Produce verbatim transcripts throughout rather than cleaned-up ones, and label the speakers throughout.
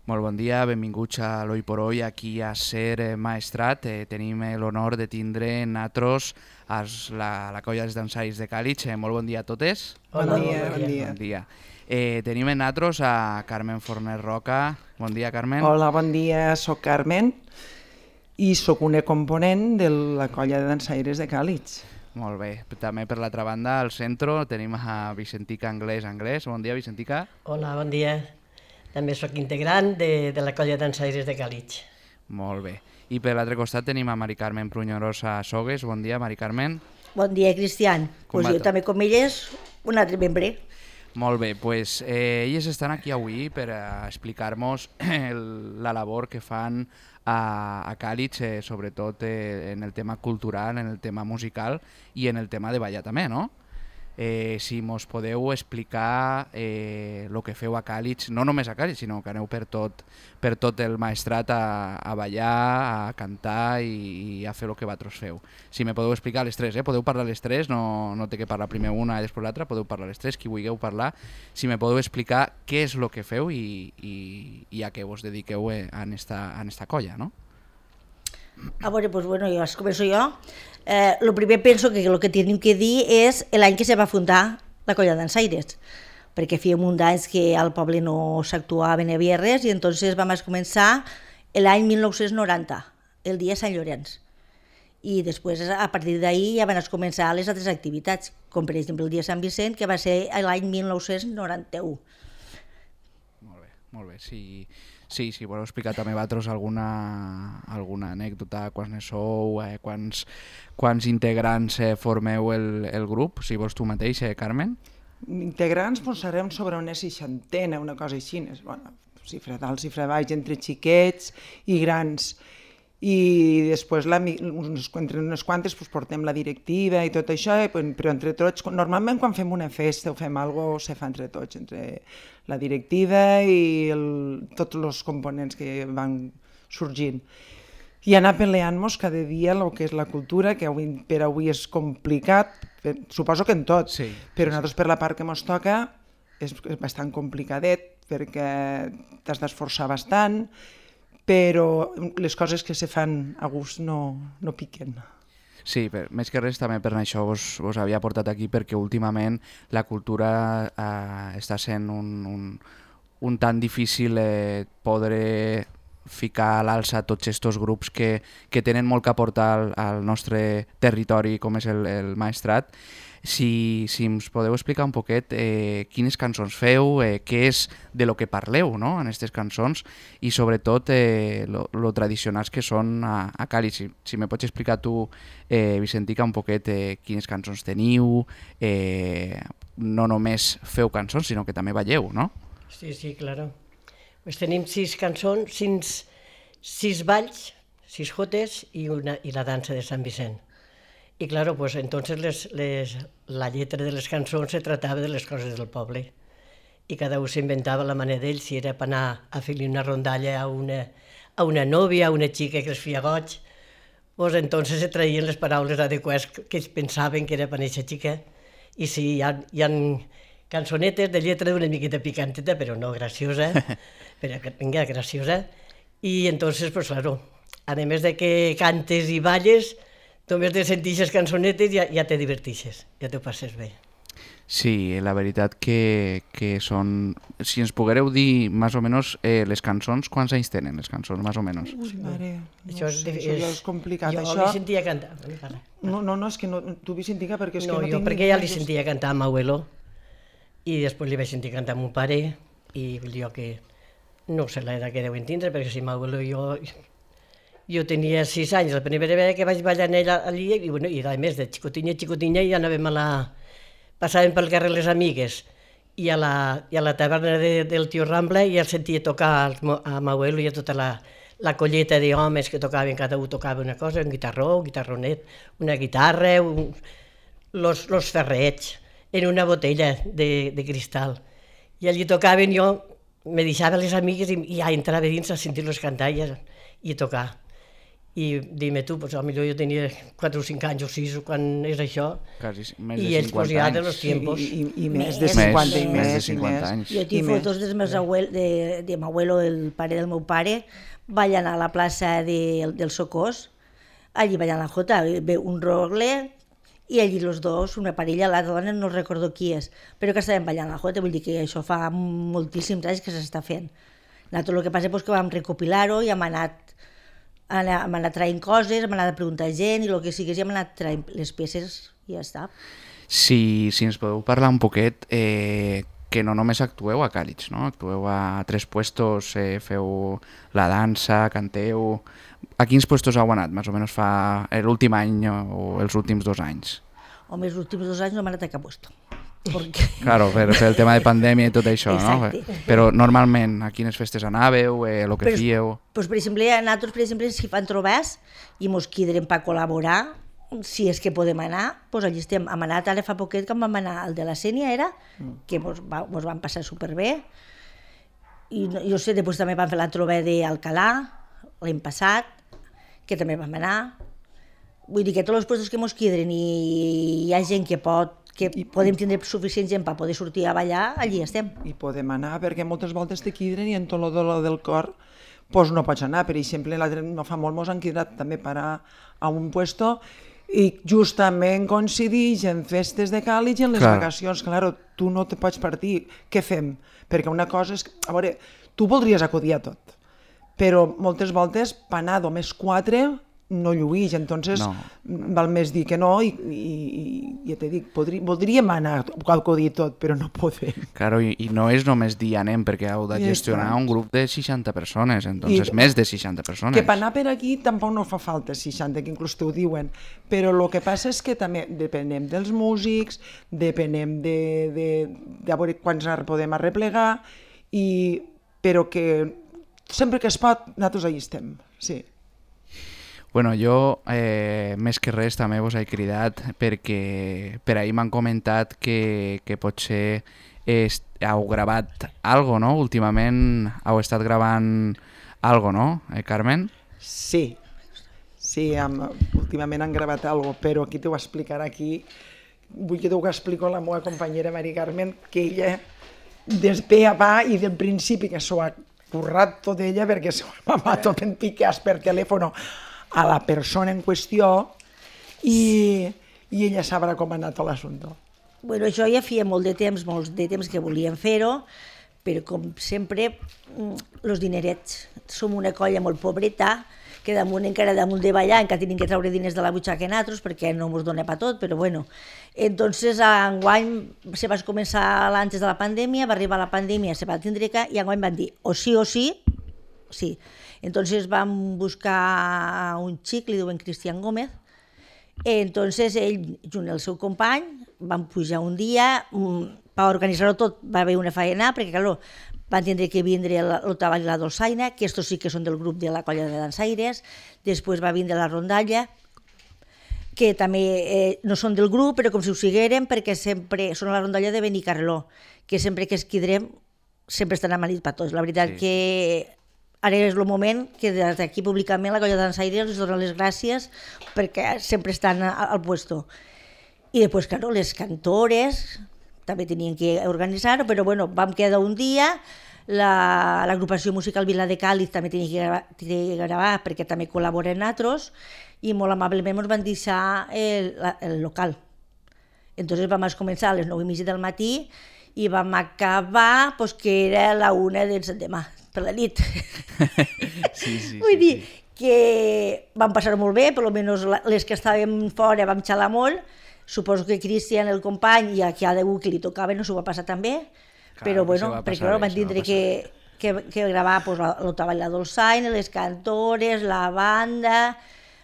Speaker 1: Molt bon dia, benvinguts a l'Oi por Hoy, aquí a Ser Maestrat. Eh, tenim l'honor de tindre natros a la, la colla dels dansaris de Càlig. Eh, molt bon dia a totes.
Speaker 2: Bon dia, bon dia.
Speaker 1: Bon dia. Eh, tenim en natros a Carmen Forner Roca. Bon dia, Carmen.
Speaker 2: Hola, bon dia, soc Carmen i sóc una component de la colla de dansaires de Càlig.
Speaker 1: Molt bé. També per l'altra banda, al centre, tenim a Vicentica Anglès Anglès. Bon dia, Vicentica.
Speaker 3: Hola, bon dia. També sóc integrant de, de la colla de dansaires de Càlig.
Speaker 1: Molt bé. I per l'altre costat tenim a Mari Carmen Pruñorosa Sogues. Bon dia, Mari Carmen.
Speaker 4: Bon dia, Cristian. Pues jo també, com elles, un altre membre.
Speaker 1: Molt bé, pues, eh, elles estan aquí avui per eh, explicar-nos la labor que fan a, a Càlig, eh, sobretot eh, en el tema cultural, en el tema musical i en el tema de ballar també, no? Eh, si mos podeu explicar el eh, que feu a Càlig, no només a Càlig, sinó que aneu per tot, per tot el maestrat a, a ballar, a cantar i, i a fer el que vosaltres feu. Si me podeu explicar les tres, eh? Podeu parlar les tres, no, no té que parlar primer una i després l'altra, podeu parlar les tres, qui vulgueu parlar. Si me podeu explicar què és el que feu i, i, i a què vos dediqueu en esta, en esta colla, no?
Speaker 4: A veure, doncs, bueno, jo començo jo. Eh, lo primer penso que el que tenim que dir és l'any que se va fundar la colla de dansaires, perquè feia un d'anys que al poble no s'actuava, no hi havia res, i entonces vam començar l'any mil nou-cents noranta, el dia Sant Llorenç. I després, a partir d'ahir, ja van començar les altres activitats, com per exemple el dia Sant Vicent, que va ser l'any mil nou-cents noranta-u.
Speaker 1: Molt bé, molt bé. Si, sí, si voleu explicar també vosaltres alguna, alguna anècdota, quants ne sou, eh, quants, quants integrants eh, formeu el, el grup, si vols tu mateix, eh, Carmen?
Speaker 2: Integrants posarem sobre una seixantena, una cosa així, bueno, xifra dalt, xifra baix, entre xiquets i grans. I després, la, uns, entre unes quantes, pues, portem la directiva i tot això, i, però entre tots, normalment quan fem una festa o fem alguna cosa, se fa entre tots, entre la directiva i el, tots els components que van sorgint. I anar peleant-nos cada dia el que és la cultura, que avui, per avui és complicat, per, suposo que en tot,
Speaker 1: sí,
Speaker 2: però
Speaker 1: sí,
Speaker 2: nosaltres per la part que ens toca és, és bastant complicadet, perquè t'has d'esforçar bastant, però les coses que se fan a gust no, no piquen.
Speaker 1: Sí, per, més que res també per això vos, vos havia portat aquí, perquè últimament la cultura eh, està sent un, un, un tan difícil eh, poder ficar a l'alça tots aquests grups que, que tenen molt que aportar al, al nostre territori com és el, el Maestrat. Si, si ens podeu explicar un poquet eh, quines cançons feu, eh, què és de lo que parleu, no?, en aquestes cançons, i sobretot eh, lo, lo tradicionals que són a, a Càlig. Si, si me pots explicar tu, eh, Vicentica, un poquet eh, quines cançons teniu, eh, no només feu cançons, sinó que també balleu, no?
Speaker 3: Sí, sí, claro. Pues tenim sis cançons, sis, sis balls, sis jotes i, una, i la dansa de Sant Vicent. Y claro, pues entonces les, les, la lletra de les cançons se tratava de les coses del poble. I cada un s'inventava la manera d'ell, si era per anar a fer-li una rondalla a una, a una nòvia, a una xica que es feia goig, pues entonces se traien les paraules adequades que ells pensaven que era per aquesta xica. I sí, hi ha, hi ha cançonetes de lletra d'una miqueta picanteta, però no graciosa, però vinga, graciosa. I entonces, pues claro, a més de que cantes i balles, només de sentir aquestes cançonetes ja, ja te divertixes, ja t'ho passes bé.
Speaker 1: Sí, la veritat que, que són... Si ens poguereu dir, més o menys, eh, les cançons, quants anys tenen les cançons, més o menys?
Speaker 2: Ui, mare, no
Speaker 3: això
Speaker 2: sé,
Speaker 3: és,
Speaker 2: això ja és complicat.
Speaker 3: Jo
Speaker 2: això...
Speaker 3: li sentia cantar.
Speaker 2: No, no, no, és que no, tu Vicentica, perquè és
Speaker 3: no,
Speaker 2: que no
Speaker 3: jo
Speaker 2: tinc...
Speaker 3: perquè ja li sentia cantar a m'abuelo, i després li vaig sentir cantar a mon pare, i jo que no sé l'edat que deuen tindre, perquè si m'abuelo jo... Jo tenia sis anys, la primera vegada que vaig ballar en ella allí, i, bueno, i a més de xicotinya, xicotinya, ja anàvem a la... Passàvem pel carrer les amigues, i a la, i a la taverna de, del tio Rambla ja el sentia tocar a m'abuelo i a tota la, la colleta d'homes que tocaven, cada un tocava una cosa, un guitarró, un guitarronet, una guitarra, un, los, los ferrets, en una botella de, de cristal. I allí tocaven, jo me deixava les amigues i, i ja entrava dins a sentir-los cantar i, i tocar. i dime tu, pues, potser jo tenia quatre o cinc anys o sis quan és això,
Speaker 1: Quasi més
Speaker 3: i
Speaker 1: de
Speaker 3: ells pues,
Speaker 1: cinquanta
Speaker 3: ja de
Speaker 1: anys.
Speaker 3: los tiempos.
Speaker 2: I, i, i més
Speaker 4: Més,
Speaker 2: de cinquanta i
Speaker 1: més,
Speaker 2: més.
Speaker 1: més de
Speaker 2: i
Speaker 1: cinquanta
Speaker 2: més.
Speaker 1: anys.
Speaker 4: Jo tinc
Speaker 2: I
Speaker 4: fotos
Speaker 2: més.
Speaker 4: dels meus abuelos, de, de meu abuelo, el pare del meu pare, ballant a la plaça de, del Socors, allí ballant la jota, ve un rogle i allí els dos, una parella, l'altra dona no recordo qui és, però que estaven ballant la jota, vull dir que això fa moltíssims anys que s'està fent. Nosaltres el que passa és que vam recopilar-ho i hem anat, hem anat traient coses, hem anat a preguntar a gent i el que sigués i hem anat traient les peces i ja està.
Speaker 1: Si, si ens podeu parlar un poquet, eh, que no només actueu a Càlig, no? Actueu a tres puestos, eh, feu la dansa, canteu... A quins puestos heu anat, més o menys fa l'últim any o els últims dos anys?
Speaker 4: Home, els últims dos anys no hem anat a cap puesto. Perquè...
Speaker 1: Claro, per, per el tema de pandèmia i tot això,
Speaker 4: Exacte.
Speaker 1: no? Però normalment, a quines festes anàveu, eh, el que
Speaker 4: Però,
Speaker 1: fíeu...
Speaker 4: Pues, per exemple, nosaltres, per exemple, si fan trobats i mos quidrem per col·laborar, si és que podem anar, pues allí estem. Hem anat ara fa poquet, quan vam anar al de la Sénia, era, que mos, va, mos van passar superbé. I no- jo sé, després també vam fer la trobada d'Alcalà, l'any passat, que també vam anar. Vull dir que tots els puestos que mos quidren i hi ha gent que pot, que podem tindre suficient gent per poder sortir a ballar, allí estem.
Speaker 2: I podem anar, perquè moltes voltes te quidren i en tot el dolor del cor pues no pots anar. Per exemple, l'altre no fa molt mos han quidat també per a, a un puesto i justament coincidix en festes de Càlig i en les
Speaker 1: Clar.
Speaker 2: vacacions. Claro, tu no te pots partir. Què fem? Perquè una cosa és... A veure, tu voldries acudir a tot, però moltes voltes per anar només quatre no lluís, entonces
Speaker 1: No.
Speaker 2: val més dir que no i, i, i ja t'he dit, podri, voldríem anar a acudir tot, però no podem.
Speaker 1: Claro, i, i no és només dir anem, perquè heu de
Speaker 2: I
Speaker 1: gestionar
Speaker 2: tant.
Speaker 1: un grup de seixanta persones, entonces
Speaker 2: I-
Speaker 1: més de seixanta persones.
Speaker 2: Que per anar per aquí tampoc no fa falta seixanta, que inclús t'ho diuen, però el que passa és que també depenem dels músics, depenem de, de, de veure quants ar- podem arreplegar, i, però que sempre que es pot, nosaltres allà estem, sí.
Speaker 1: Bueno, jo eh, més que res també vos he cridat perquè per ahir m'han comentat que, que potser est, heu gravat algo, no? Últimament heu estat gravant algo, no, eh, Carmen?
Speaker 2: Sí, sí, am, últimament han gravat alguna cosa, però aquí t'ho explicarà aquí. Vull que t'ho explico la meva companyera Mari Carmen, que ella, des pe a pa i del principi que s'ho ha currat tot ella, perquè s'ho ha amagat tot en piques per telèfon a la persona en qüestió, i, i ella sabrà com ha anat l'assumpte.
Speaker 4: Bueno, això ja feia molt de temps, molts de temps que volíem fer-ho, però com sempre, els dinerets. Som una colla molt pobreta, que damunt encara damunt de ballar, encara tenim que treure diners de la butxaca nosaltres, perquè no ens dona per tot, però bueno. Entonces, enguany se va començar antes de la pandèmia, va arribar la pandèmia, se va tindre que, i enguany van dir, o sí o sí, sí. Entonces vam buscar un xic, li diuen Cristian Gómez. Entonces ell, junt el seu company, van pujar un dia, per organitzar-ho tot va haver una faena, perquè clar, van tindre que vindre l'Otavall i la Dolçaina, que estos sí que són del grup de la colla de dansaires, després va vindre la rondalla, que també eh, no són del grup, però com si ho sigueren, perquè sempre són a la rondalla de Benicarló, que sempre que es quidrem sempre estan amanits per tots. La veritat
Speaker 1: Sí,
Speaker 4: que ara és el moment que des d'aquí públicament la colla de dansaires els dona les gràcies perquè sempre estan a- al puesto. I després, claro, les cantores també tenien que organitzar-ho, però bueno, vam quedar un dia, la- l'agrupació musical Vila de Càlig també tenia que gravar, que gravar perquè també col·laboren nosaltres, i molt amablement ens van deixar el, la- el local. Entonces vam començar a les nou i mitja del matí i vam acabar pues, que era la una del demà, per la nit.
Speaker 1: Sí, sí,
Speaker 4: Vull
Speaker 1: sí,
Speaker 4: dir
Speaker 1: sí.
Speaker 4: que vam passar molt bé, per almenys la- les que estàvem fora vam xalar molt. Suposo que Cristian, el company, i a qui ha degut que li tocava, no s'ho va passar tan bé,
Speaker 1: Clar,
Speaker 4: però
Speaker 1: que se
Speaker 4: bueno,
Speaker 1: va
Speaker 4: perquè
Speaker 1: passar
Speaker 4: clar,
Speaker 1: bé,
Speaker 4: van
Speaker 1: se va
Speaker 4: tindre
Speaker 1: passar
Speaker 4: que, que, que gravar pues, l'Otavall, la Dolçaina, les cantores, la banda,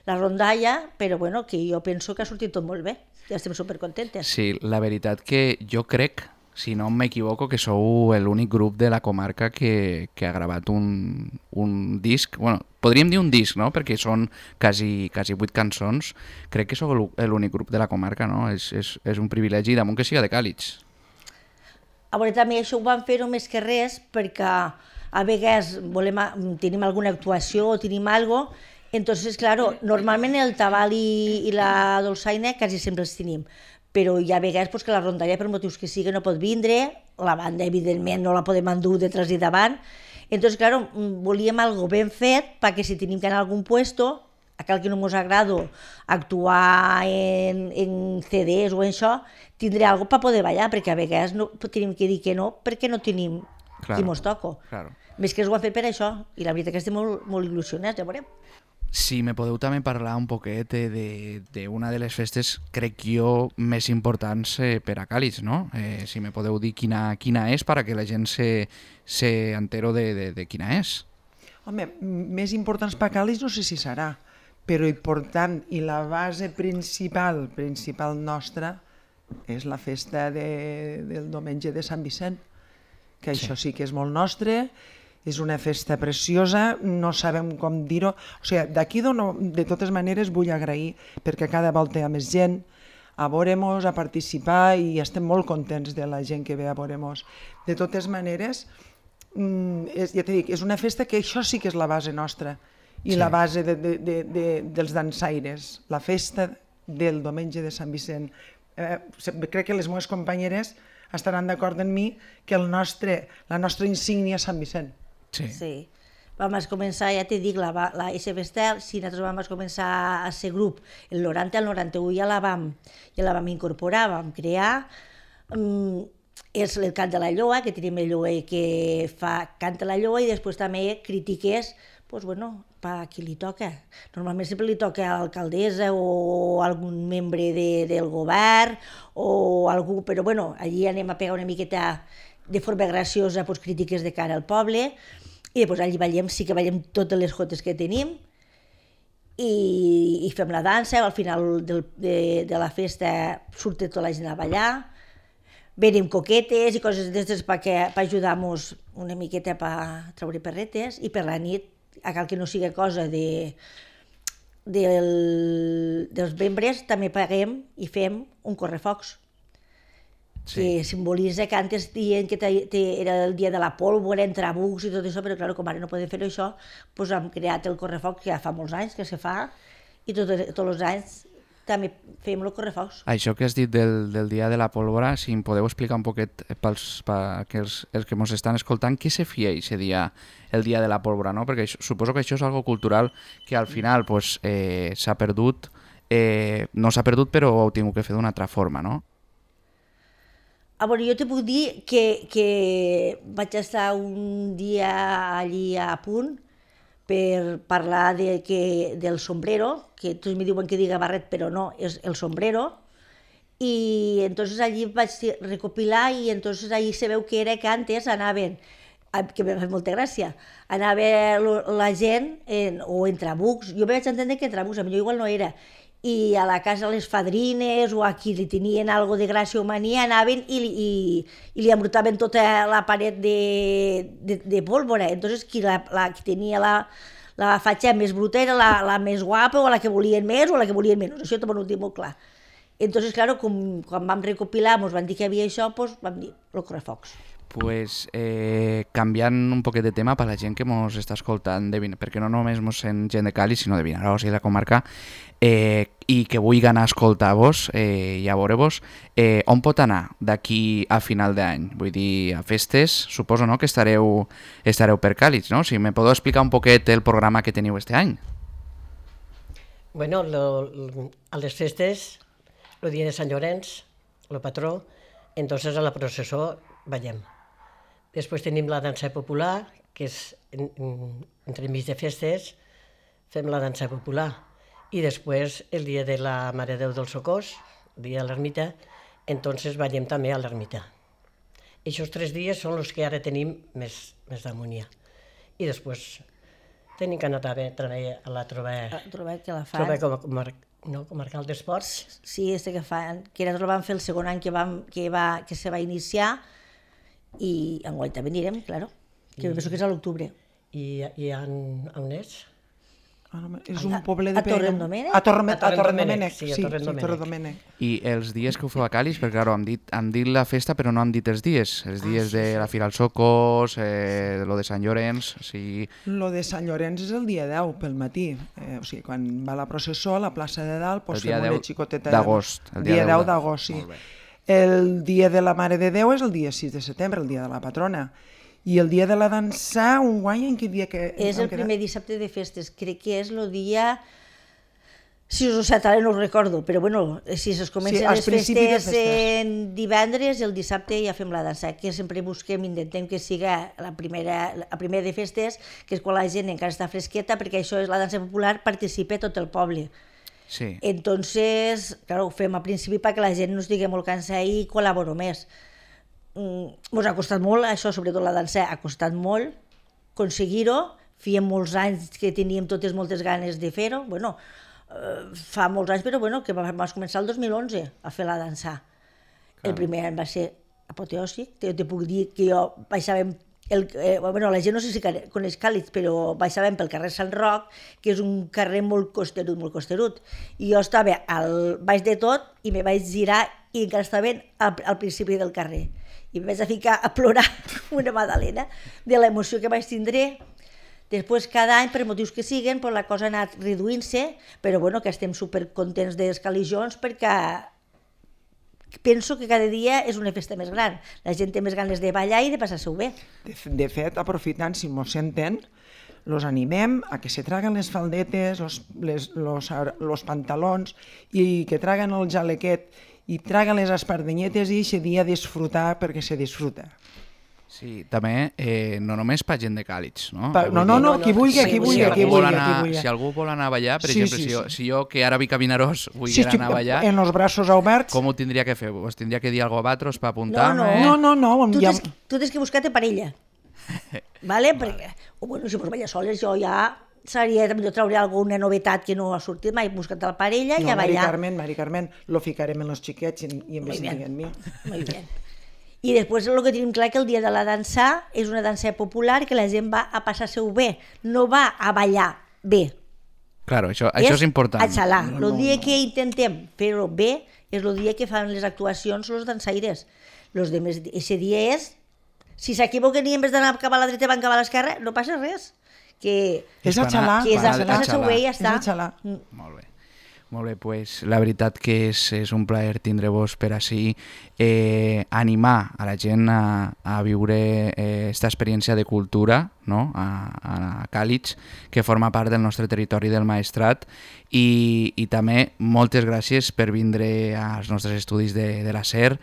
Speaker 4: la rondalla, però bueno, que jo penso que ha sortit tot molt bé, ja estem supercontentes.
Speaker 1: Sí, la veritat que jo crec, si no m'equivoco, que sou l'únic grup de la comarca que, que ha gravat un, un disc, bueno, podríem dir un disc, no?, perquè són quasi, quasi vuit cançons. Crec que sou l'únic grup de la comarca, no? És, és, és un privilegi, damunt que siga de Càlig.
Speaker 4: A veure, també això ho vam fer-ho més que res perquè a vegades volem, tenim alguna actuació o tenim alguna cosa Entonces, claro, normalment el tabal i, i la dolçaina quasi sempre els tenim, però hi ha vegades pues, que la rondalla, per motius que sigui, no pot vindre, la banda, evidentment, no la podem endur detrás i davant. Entonces, claro, volíem algo ben fet perquè si tenim que anar a algun puesto, a cal que no ens agrada actuar en, en ce des o en això, tindré algo per poder ballar, perquè a vegades no, tenim que dir que no, perquè no tenim claro, qui mos toco.
Speaker 1: Claro.
Speaker 4: Més que ho han fet per això, i la veritat que estem molt, molt il·lusionats, ja veurem.
Speaker 1: Si me podeu també parlar un poquet d'una de, de les festes, crec jo, més importants eh, per a Càlig, no? Eh, si me podeu dir quina, quina és, perquè la gent se, se entero de, de, de quina és.
Speaker 2: Home, més importants per a Càlig no sé si serà, però important i la base principal, principal nostra, és la festa de, del diumenge de Sant Vicent, que això sí que és molt nostre. És una festa preciosa, no sabem com dir-ho. O sigui, d'aquí de totes maneres vull agrair perquè cada volta hi ha més gent a veure-mos, a participar i estem molt contents de la gent que ve a veure-mos. De totes maneres, és, ja t'he dit, és una festa que això sí que és la base nostra i sí. La base de, de, de, de, dels dansaires, la festa del diumenge de Sant Vicent. Eh, crec que les meves companyeres estaran d'acord amb mi que el nostre, la nostra insígnia és Sant Vicent.
Speaker 1: Sí.
Speaker 4: Sí. Vam començar, ja t'he dit, la, la S B Estel, si nosaltres vam començar a ser grup, el noranta, el noranta-u ja la vam, ja la vam incorporar, vam crear, um, és el cant de la lloa, que tenim el lloer que fa cant de la lloa i després també critiques, pues bueno, per qui li toca. Normalment sempre li toca a l'alcaldessa o algun membre de, del govern o algú, però bueno, allí anem a pegar una miqueta de forma graciosa pues, crítiques de cara al poble i després allí ballem, sí que ballem totes les jotes que tenim i, i fem la dansa, al final del, de, de la festa surt tota la gent a ballar, venem coquetes i coses d'aquestes per ajudar-nos una miqueta per treure perretes i per la nit, a cal que no sigui cosa de, del, dels membres, també paguem i fem un correfocs. Sí. Que simbolitza que antes dient que te, te, era el dia de la pólvora, entre bucs i tot això, però clar, com ara no podem fer això, doncs hem creat el correfoc que ja fa molts anys que se fa i tot, tots els anys també fem el correfocs.
Speaker 1: Això que has dit del, del dia de la pólvora, si em podeu explicar un poquet pels, per els, els que ens estan escoltant, què se fia aquest dia, el dia de la pólvora, no? Perquè això, suposo que això és algo cultural que al final pues, eh, s'ha perdut, eh, no s'ha perdut però ho heu tingut que fer d'una altra forma, no?
Speaker 4: Ah, bueno, jo te puc dir que, que vaig estar un dia allí a punt per parlar de que, del sombrero, que tots me diuen que diga barret, però no, és el sombrero, i entonces allí vaig recopilar i entonces allí se veu que era que antes anaven, que m'ha fet molta gràcia, anava la gent en, o entre bucs, jo vaig entendre que entre bucs, a mi igual no era, i a la casa les fadrines o a qui li tenien algo de gràcia o mania anaven i, i, i li embrutaven tota la paret de, de, de pólvora. Entonces qui, la, la, qui tenia la, la fatxa més bruta era la, la més guapa o la que volien més o la que volien menys. Això també ho tinc molt clar. Entonces, claro, com, quan vam recopilar, ens van dir que hi havia això, doncs vam dir el correfocs.
Speaker 1: Pues, eh, canviant un poquet de tema per la gent que ens està escoltant, de Vin... perquè no només ens sent gent de Càlig, sinó de Vinaròs i la comarca, eh, i que vulgui anar a escoltar-vos eh, i a veure-vos, eh, on pot anar d'aquí a final d'any? Vull dir, a festes, suposo no, que estareu, estareu per Càlig, no? Si me podeu explicar un poquet el programa que teniu este any.
Speaker 3: Bueno, lo, lo, a les festes, el dia de Sant Llorenç, el patró, entonces a la processó ballem. Després tenim la dansa popular, que és en, en, entre mig de festes, fem la dansa popular. I després, el dia de la Mare de Déu del Socors, el dia de l'ermita, entonces ballem també a l'ermita. Aquests tres dies són els que ara tenim més, més d'harmonia. I després tenim que anar també a la trobar,
Speaker 4: trobar que la fan.
Speaker 3: Trobar com a comar, no, comarcal d'esports.
Speaker 4: Sí, este que fan, que nosaltres vam fer el segon any que, vam, que, va, que se va iniciar, i enguany també anirem, claro, que I, penso que és a l'octubre.
Speaker 3: I, i on, on és?
Speaker 2: És un poblet de
Speaker 4: A Torredemènec?
Speaker 2: A Torre-
Speaker 3: A
Speaker 2: a Torredemènec,
Speaker 3: sí, a
Speaker 2: sí, sí,
Speaker 3: Torredemènec.
Speaker 2: Torredemènec.
Speaker 1: I els dies que ho feu a Càlig, perquè clar, han dit, han dit la festa però no han dit els dies. Els dies de la Fira als Socos, eh, lo de Sant Llorenç, o sigui...
Speaker 2: Lo de Sant Llorenç és el dia deu pel matí, eh, o sigui, quan va la processó a la plaça de dalt, doncs
Speaker 1: El dia
Speaker 2: fem una
Speaker 1: deu
Speaker 2: xicoteta...
Speaker 1: d'agost, el
Speaker 2: El
Speaker 1: dia
Speaker 2: dia
Speaker 1: deu
Speaker 2: deu
Speaker 1: de-
Speaker 2: d'agost, sí.
Speaker 1: Molt bé.
Speaker 2: El dia de la Mare de Déu és el dia sis de setembre, el dia de la patrona. I el dia de la dansa, un guany en quin dia que...
Speaker 4: És
Speaker 2: han
Speaker 4: el
Speaker 2: quedat?
Speaker 4: primer dissabte de festes, crec que és el dia... sis o set, ara no ho recordo, però bueno, si es comencen
Speaker 2: Sí, al
Speaker 4: les
Speaker 2: principi de
Speaker 4: festes
Speaker 2: festes.
Speaker 4: en divendres, el dissabte ja fem la dansa, que sempre busquem, intentem que siga la primera, la primera de festes, que és quan la gent encara està fresqueta, perquè això és la dansa popular, participa tot el poble.
Speaker 1: Sí.
Speaker 4: Entonces, claro, ho fem al principi perquè la gent no estigui molt cansada i col·laboro més. Mm, Mos ha costat molt, això, sobretot la dansa, ha costat molt aconseguir-ho. Fèiem molts anys que teníem totes moltes ganes de fer-ho. Bueno, eh, fa molts anys, però bueno, que vam començar el dos mil onze a fer la dansa. El primer any va ser apoteòsic, te, te puc dir que jo baixàvem el, eh, bueno, la gent no sé si coneix Càlig, però baixàvem pel carrer Sant Roc, que és un carrer molt costerut, molt costerut, i jo estava al baix de tot i me vaig girar i encara estava al, al principi del carrer. I em vaig a ficar a plorar una magdalena de l'emoció que vaig tindre. Després, cada any, per motius que siguen, pues, la cosa ha anat reduint-se, però bueno, que estem supercontents dels caligions perquè penso que cada dia és una festa més gran. La gent té més ganes de ballar i de passar-s'ho bé.
Speaker 2: De, de fet, aprofitant, si mos senten, los animem a que se traguen les faldetes, los, les, los, los pantalons i que traguen el jalequet i traguen les espardenyetes i aquest dia disfrutar perquè se disfruta.
Speaker 1: Sí, també, eh, no només per gent de Càlig, no?
Speaker 2: Pa, no, no, no, qui vulgui, qui vulgui, qui
Speaker 1: vol
Speaker 2: vulgui,
Speaker 1: anar,
Speaker 2: qui vulgui.
Speaker 1: si algú vol anar a ballar, per
Speaker 2: Sí,
Speaker 1: exemple,
Speaker 2: sí,
Speaker 1: si, jo,
Speaker 2: sí.
Speaker 1: si jo, que ara vic a Vinaròs, vull
Speaker 2: Sí,
Speaker 1: anar a ballar,
Speaker 2: en los braços oberts.
Speaker 1: com ho tindria que fer? Us tindria que dir algo a vosaltres per apuntar-me?
Speaker 2: No, no, no.
Speaker 4: Tu
Speaker 2: ja...
Speaker 4: tens, tu tens que buscar-te parella. Vale? Perquè, o bueno, si vols ballar soles, jo ja seria, també trauré alguna novetat que no ha sortit mai, buscar-te la parella i
Speaker 2: No,
Speaker 4: a
Speaker 2: Mari
Speaker 4: ballar.
Speaker 2: Carmen, Mari Carmen, lo ficarem en los xiquets i, i en
Speaker 4: Muy
Speaker 2: vez
Speaker 4: bien.
Speaker 2: en mi.
Speaker 4: Molt bé. I després el que tenim clar que el dia de la dansa és una dansa popular que la gent va a passar-se-ho bé, no va a ballar bé.
Speaker 1: Claro, això, això és important.
Speaker 4: A xalar. El dia que intentem fer-ho bé és el dia que fan les actuacions els dansaires. Los demés, ese dia és, si s'equivoquen i en vez d'anar cap a la dreta van cap a l'esquerra, no passa res. Que,
Speaker 2: És a xalar.
Speaker 4: que és a
Speaker 1: Van a
Speaker 4: passar-se-ho bé i ja
Speaker 2: És
Speaker 4: està.
Speaker 2: a xalar.
Speaker 4: Mm.
Speaker 1: Molt bé. Molt bé, pues, la veritat que és, és un plaer tindre-vos per així, eh, animar a la gent a, a viure aquesta eh, experiència de cultura, no? a, a Càlig, que forma part del nostre territori del Maestrat, i, i també moltes gràcies per vindre als nostres estudis de, de la SER,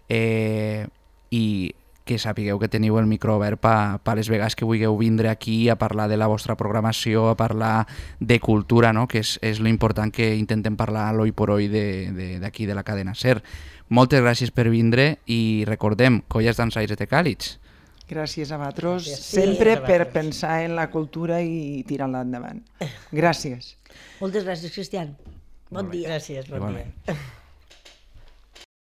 Speaker 1: eh, i que sapigueu que teniu el micro obert per pa les vegades que vulgueu vindre aquí a parlar de la vostra programació, a parlar de cultura, no? Que és, és l'important que intentem parlar l'oi por oi d'aquí de, de la cadena SER. Moltes gràcies per vindre i recordem, Colles Dansaires de Càlig.
Speaker 2: Gràcies a vosaltres,
Speaker 3: Gràcies.
Speaker 2: sempre
Speaker 3: Sí, a
Speaker 2: per
Speaker 3: vosaltres.
Speaker 2: pensar en la cultura i tirar-la endavant. Gràcies.
Speaker 4: Moltes gràcies, Cristian. Bon dia.
Speaker 3: Gràcies, bon
Speaker 1: Igualment.
Speaker 3: dia.